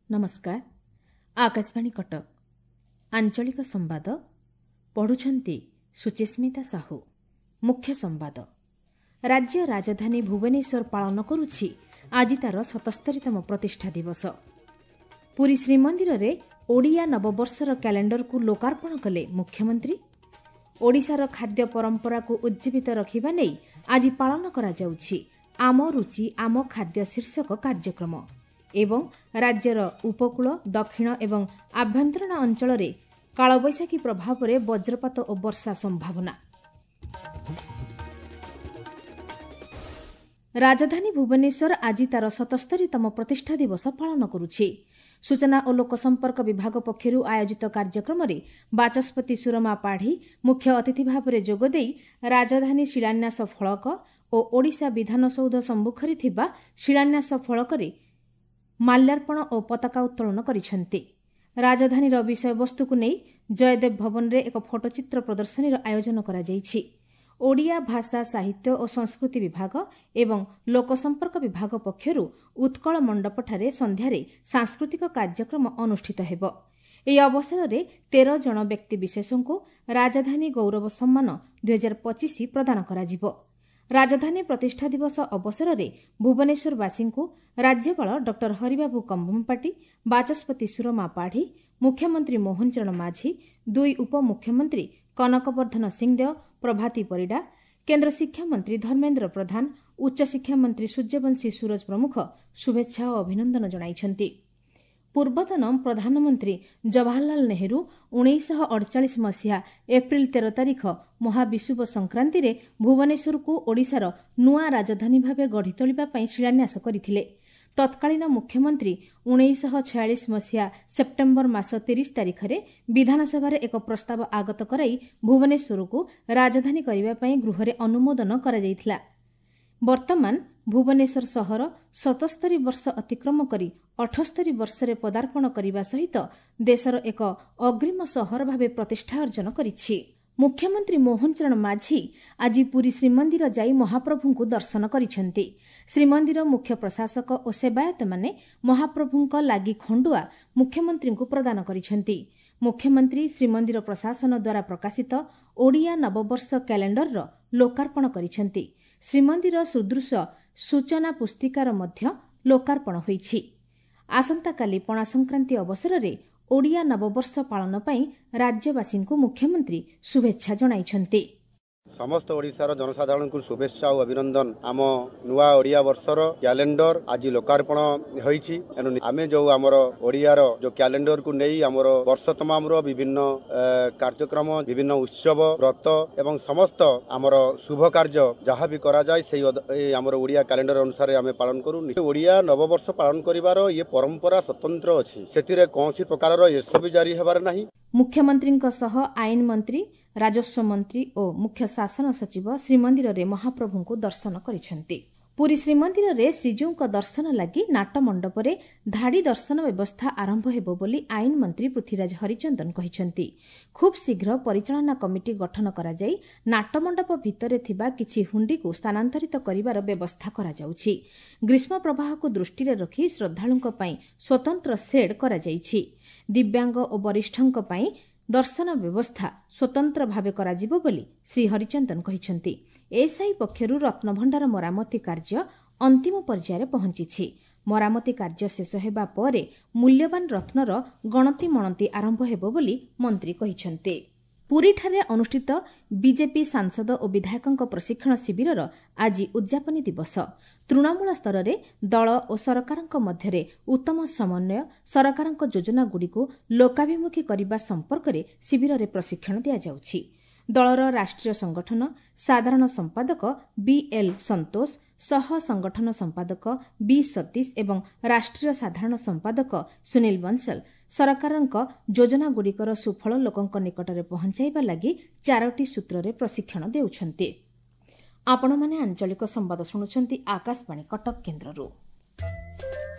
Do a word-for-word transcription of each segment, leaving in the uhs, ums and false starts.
ନମସ୍କାର, ଆକାଶବାଣୀ କଟକ, ଆଞ୍ଚଳିକ ସମ୍ବାଦ ପଢ଼ୁଛନ୍ତି ସୁଚିସ୍ମିତା ସାହୁ। ମୁଖ୍ୟ ସମ୍ବାଦ। ରାଜ୍ୟ ରାଜଧାନୀ ଭୁବନେଶ୍ୱର ପାଳନ କରୁଛି ଆଜି ତା'ର ସତସ୍ତରୀତମ ପ୍ରତିଷ୍ଠା ଦିବସ। ପୁରୀ ଶ୍ରୀମନ୍ଦିରରେ ଓଡ଼ିଆ ନବବର୍ଷର କ୍ୟାଲେଣ୍ଡରକୁ ଲୋକାର୍ପଣ କଲେ ମୁଖ୍ୟମନ୍ତ୍ରୀ। ଓଡ଼ିଶାର ଖାଦ୍ୟ ପରମ୍ପରାକୁ ଉଜ୍ଜୀବିତ ରଖିବା ନେଇ ଆଜି ପାଳନ କରାଯାଉଛି ଆମ ରୁଚି ଆମ ଖାଦ୍ୟ ଶୀର୍ଷକ କାର୍ଯ୍ୟକ୍ରମ। ଏବଂ ରାଜ୍ୟର ଉପକୂଳ, ଦକ୍ଷିଣ ଏବଂ ଆଭ୍ୟନ୍ତରୀଣ ଅଞ୍ଚଳରେ କାଳବୈଶାଖୀ ପ୍ରଭାବରେ ବଜ୍ରପାତ ଓ ବର୍ଷା ସମ୍ଭାବନା। ରାଜଧାନୀ ଭୁବନେଶ୍ୱର ଆଜି ତା'ର ସତସ୍ତରୀତମ ପ୍ରତିଷ୍ଠା ଦିବସ ପାଳନ କରୁଛି। ସୂଚନା ଓ ଲୋକସମ୍ପର୍କ ବିଭାଗ ପକ୍ଷରୁ ଆୟୋଜିତ କାର୍ଯ୍ୟକ୍ରମରେ ବାଚସ୍ପତି ସୁରମା ପାଢ଼ୀ ମୁଖ୍ୟ ଅତିଥି ଭାବରେ ଯୋଗଦେଇ ରାଜଧାନୀ ଶିଳାନ୍ୟାସ ଫଳକ ଓ ଓଡ଼ିଶା ବିଧାନସୌଧ ସମ୍ମୁଖରେ ଥିବା ଶିଳାନ୍ୟାସ ଫଳକରେ ମାଲ୍ୟାର୍ପଣ ଓ ପତାକା ଉତ୍ତୋଳନ କରିଛନ୍ତି। ରାଜଧାନୀର ବିଷୟବସ୍ତୁକୁ ନେଇ ଜୟଦେବ ଭବନରେ ଏକ ଫଟୋଚିତ୍ର ପ୍ରଦର୍ଶନୀର ଆୟୋଜନ କରାଯାଇଛି। ଓଡ଼ିଆ ଭାଷା, ସାହିତ୍ୟ ଓ ସଂସ୍କୃତି ବିଭାଗ ଏବଂ ଲୋକସମ୍ପର୍କ ବିଭାଗ ପକ୍ଷରୁ ଉତ୍କଳ ମଣ୍ଡପଠାରେ ସନ୍ଧ୍ୟାରେ ସାଂସ୍କୃତିକ କାର୍ଯ୍ୟକ୍ରମ ଅନୁଷ୍ଠିତ ହେବ। ଏହି ଅବସରରେ ତେର ଜଣ ବ୍ୟକ୍ତିବିଶେଷଙ୍କୁ ରାଜଧାନୀ ଗୌରବ ସମ୍ମାନ ଦୁଇହଜାର ପଚିଶ ପ୍ରଦାନ କରାଯିବ। ରାଜଧାନୀ ପ୍ରତିଷ୍ଠା ଦିବସ ଅବସରରେ ଭୁବନେଶ୍ୱରବାସୀଙ୍କୁ ରାଜ୍ୟପାଳ ଡକ୍ଟର ହରିବାବୁ କମ୍ଭମପାଟି, ବାଚସ୍ପତି ସୁରମା ପାଢ଼ୀ, ମୁଖ୍ୟମନ୍ତ୍ରୀ ମୋହନ ଚରଣ ମାଝୀ, ଦୁଇ ଉପମୁଖ୍ୟମନ୍ତ୍ରୀ କନକବର୍ଦ୍ଧନ ସିଂଦେଓ, ପ୍ରଭାତୀ ପରିଡ଼ା, କେନ୍ଦ୍ର ଶିକ୍ଷାମନ୍ତ୍ରୀ ଧର୍ମେନ୍ଦ୍ର ପ୍ରଧାନ, ଉଚ୍ଚଶିକ୍ଷା ମନ୍ତ୍ରୀ ସୂର୍ଯ୍ୟବଂଶୀ ସୂରଜ ପ୍ରମୁଖ ଶୁଭେଚ୍ଛା ଓ ଅଭିନନ୍ଦନ ଜଣାଇଛନ୍ତି। ପୂର୍ବତନ ପ୍ରଧାନମନ୍ତ୍ରୀ ଜବାହରଲାଲ ନେହେରୁ ଉଣେଇଶହ ଅଡ଼ଚାଳିଶ ମସିହା ଏପ୍ରିଲ ତେର ତାରିଖ ମହାବିଷୁବ ସଂକ୍ରାନ୍ତିରେ ଭୁବନେଶ୍ୱରକୁ ଓଡ଼ିଶାର ନୂଆ ରାଜଧାନୀ ଭାବେ ଗଢ଼ି ତୋଳିବା ପାଇଁ ଶିଳାନ୍ୟାସ କରିଥିଲେ। ତତ୍କାଳୀନ ମୁଖ୍ୟମନ୍ତ୍ରୀ ଉଣେଇଶହ ଛୟାଳିଶ ମସିହା ସେପ୍ଟେମ୍ବର ମାସ ତିରିଶ ତାରିଖରେ ବିଧାନସଭାରେ ଏକ ପ୍ରସ୍ତାବ ଆଗତ କରାଇ ଭୁବନେଶ୍ୱରକୁ ରାଜଧାନୀ କରିବା ପାଇଁ ଗୃହରେ ଅନୁମୋଦନ କରାଯାଇଥିଲା। ବର୍ତ୍ତମାନ ଭୁବନେଶ୍ୱର ସହର ସତସ୍ତରୀ ବର୍ଷ ଅତିକ୍ରମ କରି ଅଠସ୍ତରୀ ବର୍ଷରେ ପଦାର୍ପଣ କରିବା ସହିତ ଦେଶର ଏକ ଅଗ୍ରିମ ସହର ଭାବେ ପ୍ରତିଷ୍ଠା ଅର୍ଜନ କରିଛି। ମୁଖ୍ୟମନ୍ତ୍ରୀ ମୋହନ ଚରଣ ମାଝୀ ଆଜି ପୁରୀ ଶ୍ରୀମନ୍ଦିର ଯାଇ ମହାପ୍ରଭୁଙ୍କୁ ଦର୍ଶନ କରିଛନ୍ତି। ଶ୍ରୀମନ୍ଦିର ମୁଖ୍ୟ ପ୍ରଶାସକ ଓ ସେବାୟତମାନେ ମହାପ୍ରଭୁଙ୍କ ଲାଗି ଖଣ୍ଡୁଆ ମୁଖ୍ୟମନ୍ତ୍ରୀଙ୍କୁ ପ୍ରଦାନ କରିଛନ୍ତି। ମୁଖ୍ୟମନ୍ତ୍ରୀ ଶ୍ରୀମନ୍ଦିର ପ୍ରଶାସନ ଦ୍ୱାରା ପ୍ରକାଶିତ ଓଡ଼ିଆ ନବବର୍ଷ କ୍ୟାଲେଣ୍ଡରର ଲୋକାର୍ପଣ କରିଛନ୍ତି। ଶ୍ରୀମନ୍ଦିର ସୁଦୃଶ ସୂଚନା ପୁସ୍ତିକାର ମଧ୍ୟ ଲୋକାର୍ପଣ ହୋଇଛି। ଆସନ୍ତାକାଲି ପଣା ସଂକ୍ରାନ୍ତି ଅବସରରେ ଓଡ଼ିଆ ନବବର୍ଷ ପାଳନ ପାଇଁ ରାଜ୍ୟବାସୀଙ୍କୁ ମୁଖ୍ୟମନ୍ତ୍ରୀ ଶୁଭେଚ୍ଛା ଜଣାଇଛନ୍ତି। ସମସ୍ତ ଓଡ଼ିଶାର ଜନସାଧାରଣଙ୍କୁ ଶୁଭେଚ୍ଛା ଓ ଅଭିନନ୍ଦନ। ଆମ ନୂଆ ଓଡ଼ିଆ ବର୍ଷର କ୍ୟାଲେଣ୍ଡର ଆଜି ଲୋକାର୍ପଣ ହୋଇଛି। ଏଣୁ ଆମେ ଯେଉଁ ଆମର ଓଡ଼ିଆର ଯେଉଁ କ୍ୟାଲେଣ୍ଡରକୁ ନେଇ ଆମର ବର୍ଷ ତମାମର ବିଭିନ୍ନ କାର୍ଯ୍ୟକ୍ରମ, ବିଭିନ୍ନ ଉତ୍ସବ, ବ୍ରତ ଏବଂ ସମସ୍ତ ଆମର ଶୁଭ କାର୍ଯ୍ୟ ଯାହା ବି କରାଯାଏ ସେଇ ଆମର ଓଡ଼ିଆ କ୍ୟାଲେଣ୍ଡର ଅନୁସାରେ ଆମେ ପାଳନ କରୁ। ଓଡ଼ିଆ ନବବର୍ଷ ପାଳନ କରିବାର ଇଏ ପରମ୍ପରା ସ୍ୱତନ୍ତ୍ର ଅଛି, ସେଥିରେ କୌଣସି ପ୍ରକାରର ଏସବି ଜାରି ହେବାର ନାହିଁ। ମୁଖ୍ୟମନ୍ତ୍ରୀଙ୍କ ସହ ଆଇନ ମନ୍ତ୍ରୀ, ରାଜସ୍ୱ ମନ୍ତ୍ରୀ ଓ ମୁଖ୍ୟ ଶାସନ ସଚିବ ଶ୍ରୀମନ୍ଦିରରେ ମହାପ୍ରଭୁଙ୍କୁ ଦର୍ଶନ କରିଛନ୍ତି। ପୁରୀ ଶ୍ରୀମନ୍ଦିରରେ ଶ୍ରୀଜୀଉଙ୍କ ଦର୍ଶନ ଲାଗି ନାଟମଣ୍ଡପରେ ଧାଡ଼ି ଦର୍ଶନ ବ୍ୟବସ୍ଥା ଆରମ୍ଭ ହେବ ବୋଲି ଆଇନ ମନ୍ତ୍ରୀ ପୃଥ୍ୱୀରାଜ ହରିଚନ୍ଦନ କହିଛନ୍ତି। ଖୁବ୍ ଶୀଘ୍ର ପରିଚାଳନା କମିଟି ଗଠନ କରାଯାଇ ନାଟମଣ୍ଡପ ଭିତରେ ଥିବା କିଛି ହୁଣ୍ଡିକୁ ସ୍ଥାନାନ୍ତରିତ କରିବାର ବ୍ୟବସ୍ଥା କରାଯାଉଛି। ଗ୍ରୀଷ୍ମ ପ୍ରବାହକୁ ଦୃଷ୍ଟିରେ ରଖି ଶ୍ରଦ୍ଧାଳୁଙ୍କ ପାଇଁ ସ୍ୱତନ୍ତ୍ର ସେଡ୍ କରାଯାଇଛି। ଦିବ୍ୟାଙ୍ଗ ଓ ବରିଷ୍ଠଙ୍କ ପାଇଁ ଦର୍ଶନ ବ୍ୟବସ୍ଥା ସ୍ୱତନ୍ତ୍ର ଭାବେ କରାଯିବ ବୋଲି ଶ୍ରୀ ହରିଚନ୍ଦନ କହିଛନ୍ତି। ଏଏସ୍ଆଇ ପକ୍ଷରୁ ରତ୍ନଭଣ୍ଡାର ମରାମତି କାର୍ଯ୍ୟ ଅନ୍ତିମ ପର୍ଯ୍ୟାୟରେ ପହଞ୍ଚିଛି। ମରାମତି କାର୍ଯ୍ୟ ଶେଷ ହେବା ପରେ ମୂଲ୍ୟବାନ ରତ୍ନର ଗଣତି ମଣତି ଆରମ୍ଭ ହେବ ବୋଲି ମନ୍ତ୍ରୀ କହିଛନ୍ତି। ପୁରୀଠାରେ ଅନୁଷ୍ଠିତ ବିଜେପି ସାଂସଦ ଓ ବିଧାୟକଙ୍କ ପ୍ରଶିକ୍ଷଣ ଶିବିରର ଆଜି ଉଦ୍ଯାପନୀ ଦିବସ। ତୃଣମୂଳ ସ୍ତରରେ ଦଳ ଓ ସରକାରଙ୍କ ମଧ୍ୟରେ ଉତ୍ତମ ସମନ୍ୱୟ, ସରକାରଙ୍କ ଯୋଜନାଗୁଡ଼ିକୁ ଲୋକାଭିମୁଖୀ କରିବା ସମ୍ପର୍କରେ ଶିବିରରେ ପ୍ରଶିକ୍ଷଣ ଦିଆଯାଉଛି। ଦଳର ରାଷ୍ଟ୍ରୀୟ ସଂଗଠନ ସାଧାରଣ ସମ୍ପାଦକ ବିଏଲ୍ ସନ୍ତୋଷ, ସହ ସଂଗଠନ ସମ୍ପାଦକ ବି ସତୀଶ ଏବଂ ରାଷ୍ଟ୍ରୀୟ ସାଧାରଣ ସମ୍ପାଦକ ସୁନୀଲ ବଂଶଲ ସରକାରଙ୍କ ଯୋଜନାଗୁଡ଼ିକର ସୁଫଳ ଲୋକଙ୍କ ନିକଟରେ ପହଞ୍ଚାଇବା ଲାଗି ଚାରୋଟି ସୂତ୍ରରେ ପ୍ରଶିକ୍ଷଣ ଦେଉଛନ୍ତି। ଆପଣମାନେ ଆଞ୍ଚଳିକ ସମ୍ବାଦ ଶୁଣୁଛନ୍ତି ଆକାଶବାଣୀ କଟକ କେନ୍ଦ୍ରରୁ।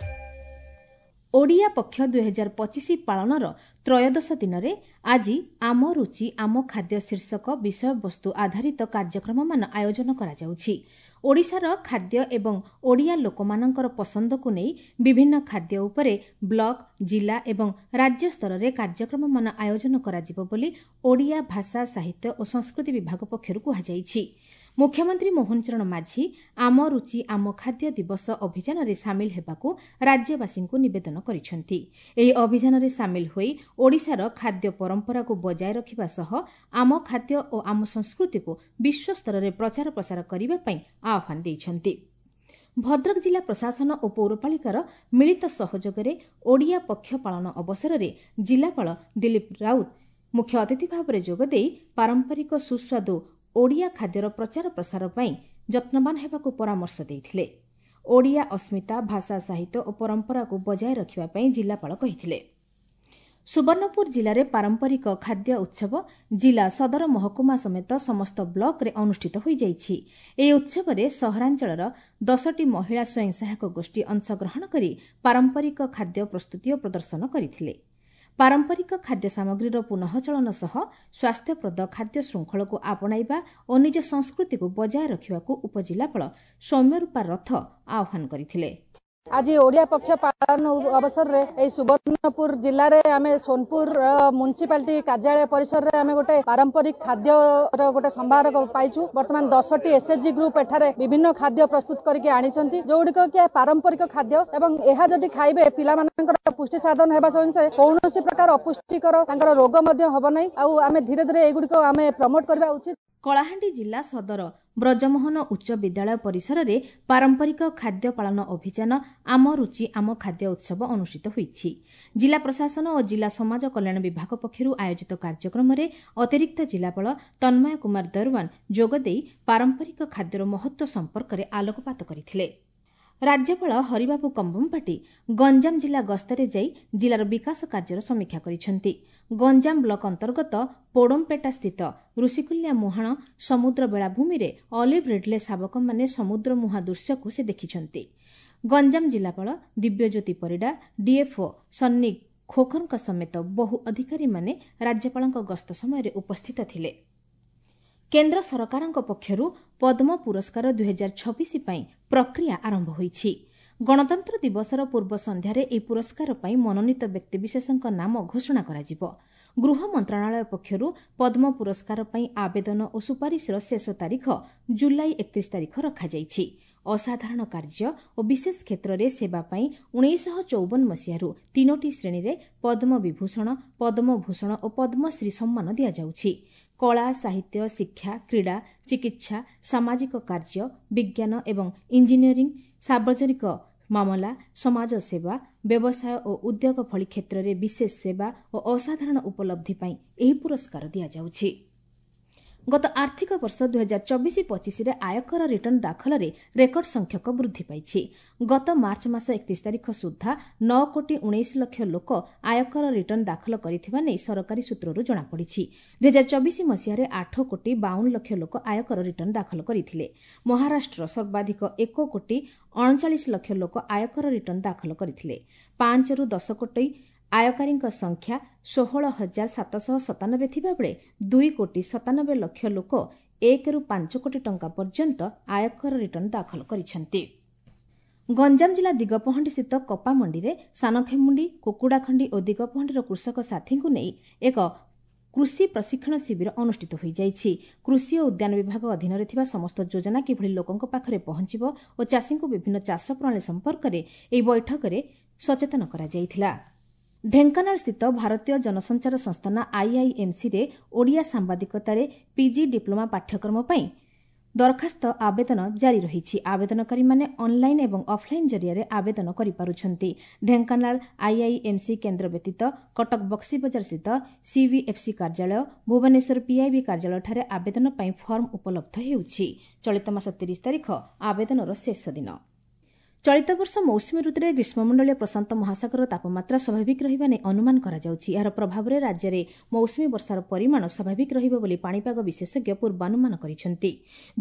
ଓଡ଼ିଆ ପକ୍ଷ ଦୁଇହଜାର ପଚିଶ ପାଳନର ତ୍ରୟୋଦଶ ଦିନରେ ଆଜି ଆମ ରୁଚି ଆମ ଖାଦ୍ୟ ଶୀର୍ଷକ ବିଷୟବସ୍ତୁ ଆଧାରିତ କାର୍ଯ୍ୟକ୍ରମମାନ ଆୟୋଜନ କରାଯାଉଛି। ଓଡ଼ିଶାର ଖାଦ୍ୟ ଏବଂ ଓଡ଼ିଆ ଲୋକମାନଙ୍କର ପସନ୍ଦକୁ ନେଇ ବିଭିନ୍ନ ଖାଦ୍ୟ ଉପରେ ବ୍ଲକ, ଜିଲ୍ଲା ଏବଂ ରାଜ୍ୟ ସ୍ତରରେ କାର୍ଯ୍ୟକ୍ରମମାନ ଆୟୋଜନ କରାଯିବ ବୋଲି ଓଡ଼ିଆ ଭାଷା, ସାହିତ୍ୟ ଓ ସଂସ୍କୃତି ବିଭାଗ ପକ୍ଷରୁ କୁହାଯାଇଛି। ମୁଖ୍ୟମନ୍ତ୍ରୀ ମୋହନ ଚରଣ ମାଝୀ ଆମ ରୁଚି ଆମ ଖାଦ୍ୟ ଦିବସ ଅଭିଯାନରେ ସାମିଲ ହେବାକୁ ରାଜ୍ୟବାସୀଙ୍କୁ ନିବେଦନ କରିଛନ୍ତି। ଏହି ଅଭିଯାନରେ ସାମିଲ ହୋଇ ଓଡ଼ିଶାର ଖାଦ୍ୟ ପରମ୍ପରାକୁ ବଜାୟ ରଖିବା ସହ ଆମ ଖାଦ୍ୟ ଓ ଆମ ସଂସ୍କୃତିକୁ ବିଶ୍ୱସ୍ତରରେ ପ୍ରଚାର ପ୍ରସାର କରିବା ପାଇଁ ଆହ୍ୱାନ ଦେଇଛନ୍ତି। ଭଦ୍ରକ ଜିଲ୍ଲା ପ୍ରଶାସନ ଓ ପୌରପାଳିକାର ମିଳିତ ସହଯୋଗରେ ଓଡ଼ିଆ ପକ୍ଷ ପାଳନ ଅବସରରେ ଜିଲ୍ଲାପାଳ ଦିଲ୍ଲୀପ ରାଉତ ମୁଖ୍ୟ ଅତିଥି ଭାବରେ ଯୋଗଦେଇ ପାରମ୍ପରିକ ସୁସ୍ୱାଦୁ ଓଡ଼ିଆ ଖାଦ୍ୟର ପ୍ରଚାର ପ୍ରସାର ପାଇଁ ଯତ୍ନବାନ ହେବାକୁ ପରାମର୍ଶ ଦେଇଥିଲେ। ଓଡ଼ିଆ ଅସ୍ମିତା, ଭାଷା, ସାହିତ୍ୟ ଓ ପରମ୍ପରାକୁ ବଜାୟ ରଖିବା ପାଇଁ ଜିଲ୍ଲାପାଳ କହିଥିଲେ। ସୁବର୍ଣ୍ଣପୁର ଜିଲ୍ଲାରେ ପାରମ୍ପରିକ ଖାଦ୍ୟ ଉତ୍ସବ ଜିଲ୍ଲା ସଦର ମହକୁମା ସମେତ ସମସ୍ତ ବ୍ଲକରେ ଅନୁଷ୍ଠିତ ହୋଇଯାଇଛି। ଏହି ଉତ୍ସବରେ ସହରାଞ୍ଚଳର ଦଶଟି ମହିଳା ସ୍ୱୟଂ ସହାୟକ ଗୋଷ୍ଠୀ ଅଂଶଗ୍ରହଣ କରି ପାରମ୍ପରିକ ଖାଦ୍ୟ ପ୍ରସ୍ତୁତି ଓ ପ୍ରଦର୍ଶନ କରିଥିଲେ। ପାରମ୍ପରିକ ଖାଦ୍ୟ ସାମଗ୍ରୀର ପୁନଃଚଳନ ସହ ସ୍ୱାସ୍ଥ୍ୟପ୍ରଦ ଖାଦ୍ୟ ଶୃଙ୍ଖଳକୁ ଆପଣାଇବା ଓ ନିଜ ସଂସ୍କୃତିକୁ ବଜାୟ ରଖିବାକୁ ଉପଜିଲ୍ଲାପାଳ ସୌମ୍ୟରୂପା ରଥ ଆହ୍ୱାନ କରିଥିଲେ। ଆଜି ଓଡ଼ିଆ ପକ୍ଷ ପାଳନ ଅବସରରେ ଏହି ସୁବର୍ଣ୍ଣପୁର ଜିଲ୍ଲାରେ ଆମେ ସୋନପୁର ମ୍ୟୁନିସିପାଲିଟି କାର୍ଯ୍ୟାଳୟ ପରିସରରେ ଆମେ ଗୋଟେ ପାରମ୍ପରିକ ଖାଦ୍ୟର ଗୋଟେ ସମ୍ଭାର ପାଇଛୁ। ବର୍ତ୍ତମାନ ଦଶଟି ଏସ୍ଏଚଜି ଗ୍ରୁପ ଏଠାରେ ବିଭିନ୍ନ ଖାଦ୍ୟ ପ୍ରସ୍ତୁତ କରିକି ଆଣିଛନ୍ତି, ଯୋଉଗୁଡ଼ିକ କି ପାରମ୍ପରିକ ଖାଦ୍ୟ ଏବଂ ଏହା ଯଦି ଖାଇବେ ପିଲାମାନଙ୍କର ପୁଷ୍ଟି ସାଧନ ହେବା ସଙ୍ଗେ କୌଣସି ପ୍ରକାର ଅପୁଷ୍ଟିକର ତାଙ୍କର ରୋଗ ମଧ୍ୟ ହେବ ନାହିଁ। ଆଉ ଆମେ ଧୀରେ ଧୀରେ ଏଗୁଡ଼ିକ ଆମେ ପ୍ରମୋଟ କରିବା ଉଚିତ। କଳାହାଣ୍ଡି ଜିଲ୍ଲା ସଦର ବ୍ରଜମୋହନ ଉଚ୍ଚ ବିଦ୍ୟାଳୟ ପରିସରରେ ପାରମ୍ପରିକ ଖାଦ୍ୟ ପାଳନ ଅଭିଯାନ ଆମ ରୁଚି ଆମ ଖାଦ୍ୟ ଉତ୍ସବ ଅନୁଷ୍ଠିତ ହୋଇଛି। ଜିଲ୍ଲା ପ୍ରଶାସନ ଓ ଜିଲ୍ଲା ସମାଜ କଲ୍ୟାଣ ବିଭାଗ ପକ୍ଷରୁ ଆୟୋଜିତ କାର୍ଯ୍ୟକ୍ରମରେ ଅତିରିକ୍ତ ଜିଲ୍ଲାପାଳ ତନ୍ମୟ କୁମାର ଦରୱାନ ଯୋଗଦେଇ ପାରମ୍ପରିକ ଖାଦ୍ୟର ମହତ୍ତ୍ୱ ସମ୍ପର୍କରେ ଆଲୋକପାତ କରିଥିଲେ। ରାଜ୍ୟପାଳ ହରିବାବୁ କମ୍ବମପାଟି ଗଞ୍ଜାମ ଜିଲ୍ଲା ଗସ୍ତରେ ଯାଇ ଜିଲ୍ଲାର ବିକାଶ କାର୍ଯ୍ୟର ସମୀକ୍ଷା କରିଛନ୍ତି। ଗଞ୍ଜାମ ବ୍ଲକ ଅନ୍ତର୍ଗତ ପୋଡମ୍ପେଟା ସ୍ଥିତ ଋଷିକୁଲ୍ୟା ମୁହାଣ ସମୁଦ୍ର ବେଳାଭୂମିରେ ଅଲିଭ୍ ରିଡ୍ଲେ ଶାବକମାନେ ସମୁଦ୍ର ମୁହାଁ ଦୃଶ୍ୟକୁ ସେ ଦେଖିଛନ୍ତି। ଗଞ୍ଜାମ ଜିଲ୍ଲାପାଳ ଦିବ୍ୟଜ୍ୟୋତି ପରିଡ଼ା, ଡିଏଫ୍ଓ ସନ୍ନି ଖୋଖରଙ୍କ ସମେତ ବହୁ ଅଧିକାରୀମାନେ ରାଜ୍ୟପାଳଙ୍କ ଗସ୍ତ ସମୟରେ ଉପସ୍ଥିତ ଥିଲେ। କେନ୍ଦ୍ର ସରକାରଙ୍କ ପକ୍ଷରୁ ପଦ୍ମ ପୁରସ୍କାର ଦୁଇହଜାର ଛବିଶ ପାଇଁ ପ୍ରକ୍ରିୟା ଆରମ୍ଭ ହୋଇଛି। ଗଣତନ୍ତ୍ର ଦିବସର ପୂର୍ବ ସନ୍ଧ୍ୟାରେ ଏହି ପୁରସ୍କାର ପାଇଁ ମନୋନୀତ ବ୍ୟକ୍ତିବିଶେଷଙ୍କ ନାମ ଘୋଷଣା କରାଯିବ। ଗୃହ ମନ୍ତ୍ରଣାଳୟ ପକ୍ଷରୁ ପଦ୍ମ ପୁରସ୍କାର ପାଇଁ ଆବେଦନ ଓ ସୁପାରିଶର ଶେଷ ତାରିଖ ଜୁଲାଇ ଏକତିରିଶ ତାରିଖ ରଖାଯାଇଛି। ଅସାଧାରଣ କାର୍ଯ୍ୟ ଓ ବିଶେଷ କ୍ଷେତ୍ରରେ ସେବା ପାଇଁ ଉଣେଇଶହ ଚଉବନ ମସିହାରୁ ତିନୋଟି ଶ୍ରେଣୀରେ ପଦ୍ମ ବିଭୂଷଣ, ପଦ୍ମଭୂଷଣ ଓ ପଦ୍ମଶ୍ରୀ ସମ୍ମାନ ଦିଆଯାଉଛି। କଳା, ସାହିତ୍ୟ, ଶିକ୍ଷା, କ୍ରୀଡ଼ା, ଚିକିତ୍ସା, ସାମାଜିକ କାର୍ଯ୍ୟ, ବିଜ୍ଞାନ ଏବଂ ଇଞ୍ଜିନିୟରିଂ, ସାର୍ବଜନିକ ମାମଲା, ସମାଜସେବା, ବ୍ୟବସାୟ ଓ ଉଦ୍ୟୋଗ ଭଳି କ୍ଷେତ୍ରରେ ବିଶେଷ ସେବା ଓ ଅସାଧାରଣ ଉପଲବ୍ଧି ପାଇଁ ଏହି ପୁରସ୍କାର ଦିଆଯାଉଛି। ଗତ ଆର୍ଥିକ ବର୍ଷ ଦୁଇହଜାର ଚବିଶ ପଚିଶରେ ଆୟକର ରିଟର୍ଣ୍ଣ ଦାଖଲରେ ରେକର୍ଡ ସଂଖ୍ୟକ ବୃଦ୍ଧି ପାଇଛି। ଗତ ମାର୍ଚ୍ଚ ମାସ ଏକତିରିଶ ତାରିଖ ସୁଦ୍ଧା ନଅ କୋଟି ଉଣେଇଶ ଲକ୍ଷ ଲୋକ ଆୟକର ରିଟର୍ଣ୍ଣ ଦାଖଲ କରିଥିବା ନେଇ ସରକାରୀ ସୂତ୍ରରୁ ଜଣାପଡ଼ିଛି। ଦୁଇହଜାର ଚବିଶ ମସିହାରେ ଆଠ କୋଟି ବାଉନ ଲକ୍ଷ ଲୋକ ଆୟକର ରିଟର୍ଣ୍ଣ ଦାଖଲ କରିଥିଲେ। ମହାରାଷ୍ଟ୍ର ସର୍ବାଧିକ ଏକ କୋଟି ଅଣଚାଳିଶ ଲକ୍ଷ ଲୋକ ଆୟକର ରିଟର୍ଣ୍ଣ ଦାଖଲ କରିଥିଲେ। ପାଞ୍ଚରୁ ଦଶ କୋଟି ଆୟକାରୀଙ୍କ ସଂଖ୍ୟା ଷୋହଳ ହଜାର ସାତଶହ ସତାନବେ ଥିବାବେଳେ ଦୁଇ କୋଟି ସତାନବେ ଲକ୍ଷ ଲୋକ ଏକରୁ ପାଞ୍ଚ କୋଟି ଟଙ୍କା ପର୍ଯ୍ୟନ୍ତ ଆୟକର ରିଟର୍ଣ୍ଣ ଦାଖଲ କରିଛନ୍ତି। ଗଞ୍ଜାମ ଜିଲ୍ଲା ଦିଗପହଣ୍ଡିସ୍ଥିତ କପାମଣ୍ଡିରେ ସାନଖେମୁଣ୍ଡି, କୁକୁଡ଼ାଖଣ୍ଡି ଓ ଦିଗପହଣ୍ଡିର କୃଷକ ସାଥୀଙ୍କୁ ନେଇ ଏକ କୃଷି ପ୍ରଶିକ୍ଷଣ ଶିବିର ଅନୁଷ୍ଠିତ ହୋଇଯାଇଛି। କୃଷି ଓ ଉଦ୍ୟାନ ବିଭାଗ ଅଧୀନରେ ଥିବା ସମସ୍ତ ଯୋଜନା କିଭଳି ଲୋକଙ୍କ ପାଖରେ ପହଞ୍ଚିବ ଓ ଚାଷୀଙ୍କୁ ବିଭିନ୍ନ ଚାଷ ପ୍ରଣାଳୀ ସମ୍ପର୍କରେ ଏହି ବୈଠକରେ ସଚେତନ କରାଯାଇଥିଲା। ଢେଙ୍କାନାଳ ସ୍ଥିତ ଭାରତୀୟ ଜନସଞ୍ଚାର ସଂସ୍ଥାନ ଆଇଆଇଏମ୍ସିରେ ଓଡ଼ିଆ ସାମ୍ବାଦିକତାରେ ପିଜି ଡିପ୍ଲୋମା ପାଠ୍ୟକ୍ରମ ପାଇଁ ଦରଖାସ୍ତ ଆବେଦନ ଜାରି ରହିଛି। ଆବେଦନକାରୀମାନେ ଅନ୍ଲାଇନ୍ ଏବଂ ଅଫ୍ଲାଇନ୍ ଜରିଆରେ ଆବେଦନ କରିପାରୁଛନ୍ତି। ଢେଙ୍କାନାଳ ଆଇଆଇଏମ୍ସି କେନ୍ଦ୍ର ବ୍ୟତୀତ କଟକ ବକ୍ସିବଜାର ସ୍ଥିତ ସିଭିଏଫ୍ସି କାର୍ଯ୍ୟାଳୟ, ଭୁବନେଶ୍ୱର ପିଆଇବି କାର୍ଯ୍ୟାଳୟଠାରେ ଆବେଦନ ପାଇଁ ଫର୍ମ ଉପଲବ୍ଧ ହେଉଛି। ଚଳିତ ମାସ ତିରିଶ ତାରିଖ ଆବେଦନର ଶେଷ ଦିନ। ଚଳିତ ବର୍ଷ ମୌସୁମୀ ଋତୁରେ ଗ୍ରୀଷ୍ମମଣ୍ଡଳୀୟ ପ୍ରଶାନ୍ତ ମହାସାଗରର ତାପମାତ୍ରା ସ୍ୱାଭାବିକ ରହିବା ନେଇ ଅନୁମାନ କରାଯାଉଛି। ଏହାର ପ୍ରଭାବରେ ରାଜ୍ୟରେ ମୌସୁମୀ ବର୍ଷାର ପରିମାଣ ସ୍ୱାଭାବିକ ରହିବ ବୋଲି ପାଣିପାଗ ବିଶେଷଜ୍ଞ ପୂର୍ବାନୁମାନ କରିଛନ୍ତି।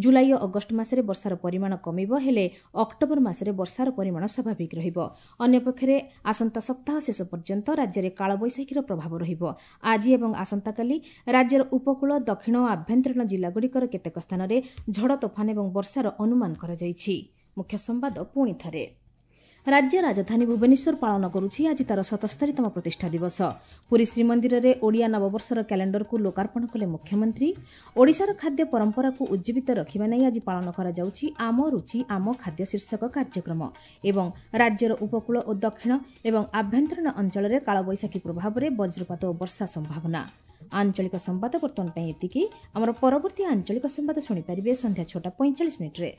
ଜୁଲାଇ ଓ ଅଗଷ୍ଟ ମାସରେ ବର୍ଷାର ପରିମାଣ କମିବ, ହେଲେ ଅକ୍ଟୋବର ମାସରେ ବର୍ଷାର ପରିମାଣ ସ୍ୱାଭାବିକ ରହିବ। ଅନ୍ୟପକ୍ଷରେ ଆସନ୍ତା ସପ୍ତାହ ଶେଷ ପର୍ଯ୍ୟନ୍ତ ରାଜ୍ୟରେ କାଳବୈଶାଖୀର ପ୍ରଭାବ ରହିବ। ଆଜି ଏବଂ ଆସନ୍ତାକାଲି ରାଜ୍ୟର ଉପକୂଳ, ଦକ୍ଷିଣ ଓ ଆଭ୍ୟନ୍ତରୀଣ ଜିଲ୍ଲାଗୁଡ଼ିକର କେତେକ ସ୍ଥାନରେ ଝଡ଼ ତୋଫାନ ଏବଂ ବର୍ଷାର ଅନୁମାନ କରାଯାଇଛି। ମୁଖ୍ୟ ସମ୍ବାଦ ପୁଣି ଥରେ। ରାଜ୍ୟ ରାଜଧାନୀ ଭୁବନେଶ୍ୱର ପାଳନ କରୁଛି ଆଜି ତାର ସତସ୍ତରୀତମ ପ୍ରତିଷ୍ଠା ଦିବସ। ପୁରୀ ଶ୍ରୀମନ୍ଦିରରେ ଓଡ଼ିଆ ନବବର୍ଷର କ୍ୟାଲେଣ୍ଡରକୁ ଲୋକାର୍ପଣ କଲେ ମୁଖ୍ୟମନ୍ତ୍ରୀ। ଓଡ଼ିଶାର ଖାଦ୍ୟ ପରମ୍ପରାକୁ ଉଜ୍ଜୀବିତ ରଖିବା ନେଇ ଆଜି ପାଳନ କରାଯାଉଛି ଆମ ରୁଚି ଆମ ଖାଦ୍ୟ ଶୀର୍ଷକ କାର୍ଯ୍ୟକ୍ରମ। ଏବଂ ରାଜ୍ୟର ଉପକୂଳ ଓ ଦକ୍ଷିଣ ଏବଂ ଆଭ୍ୟନ୍ତରୀଣ ଅଞ୍ଚଳରେ କାଳବୈଶାଖୀ ପ୍ରଭାବରେ ବଜ୍ରପାତ ଓ ବର୍ଷା ସମ୍ଭାବନା। ଆଞ୍ଚଳିକ ସମ୍ବାଦ ବର୍ତ୍ତମାନ ପାଇଁ ଏତିକି। ଆମର ପରବର୍ତ୍ତୀ ଆଞ୍ଚଳିକ ସମ୍ବାଦ ଶୁଣିପାରିବେ ସନ୍ଧ୍ୟା ଛଅଟା ପଇଁଚାଳିଶ ମିନିଟ୍ରେ।